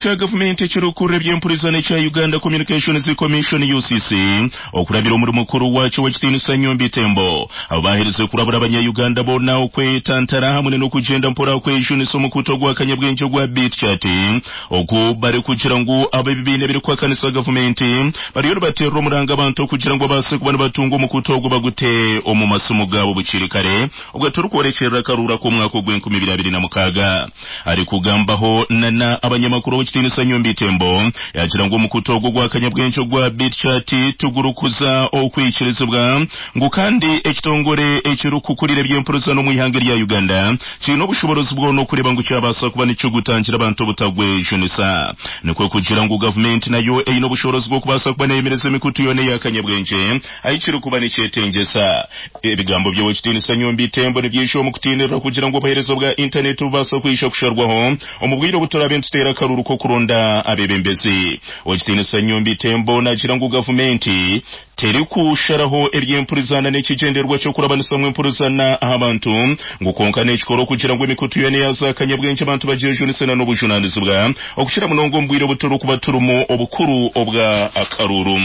Kya gavumenti ekirikukurira eby'empurizana ekya Uganda Communications Commission, UCC, okurabira omuri mukuru waakyo ow'ekitiinisa Nyombi Thembo baaherize kurabura abanya-Uganda boona okwetantara hamwe n'okugyenda mpora kwejunisa omukutu ogwa kanyabwengye ogwa Bitchat ogu barikugira ngu ab'ebibiina ebirikuhakanisa gavumenti bariyo nibateerera omuranga abantu okugira ngu babaase kuba nibatunga omukutu ogwo bagute omu masimu gaabo bukiri kare obwo turikworekyerera akaruuru ak'omwaka ogw'enkumi ibiri abiri na mukaaga. Arikugambaho na na abanyamakuru Owekitiinisa Nyombi Thembo yaagira ngu omukutu ogu ogwa kanyabwengye ogwa Bitchat tigurikuza okwikirizibwa ngu kandi ekitongore ekirikukurira eby'empurizana omu ihanga erya Uganda kiine obushoboorozi bwona okureeba ngu kyabaasa kuba nikigutangira abantu obutagwejunisa. Nikwo kugira ngu gavumenti nayo eine obushoboorozi bw'okubaasa kuba neyemereza emikutu yoona eya kanyabwengye ahi kirikuba nikyetengyesa. Ebigambo by'Owekitiinisa Nyombi Thembo nibyija omu kutiinirira kugira ngu obuheereza bwa intaneti bubaase kwija kusharwaho omu bwire obu turaabe nituteera akaruuru k'okuronda abeebembezi. Owekitiinisa Nyombi Thembo naagira ngu gavumenti terikusharaho eby'empurizana n'ekigyendererwa ky'okurabanisamu empurizana aha bantu ngu kwonka neekikora okugira ngu emikutu yoona eya zaakanyabwengye abantu bagyejunise na n'obujunaanizibwa okukira munonga omu bwire obu turikuba turimu obukuru obwa akaruuru.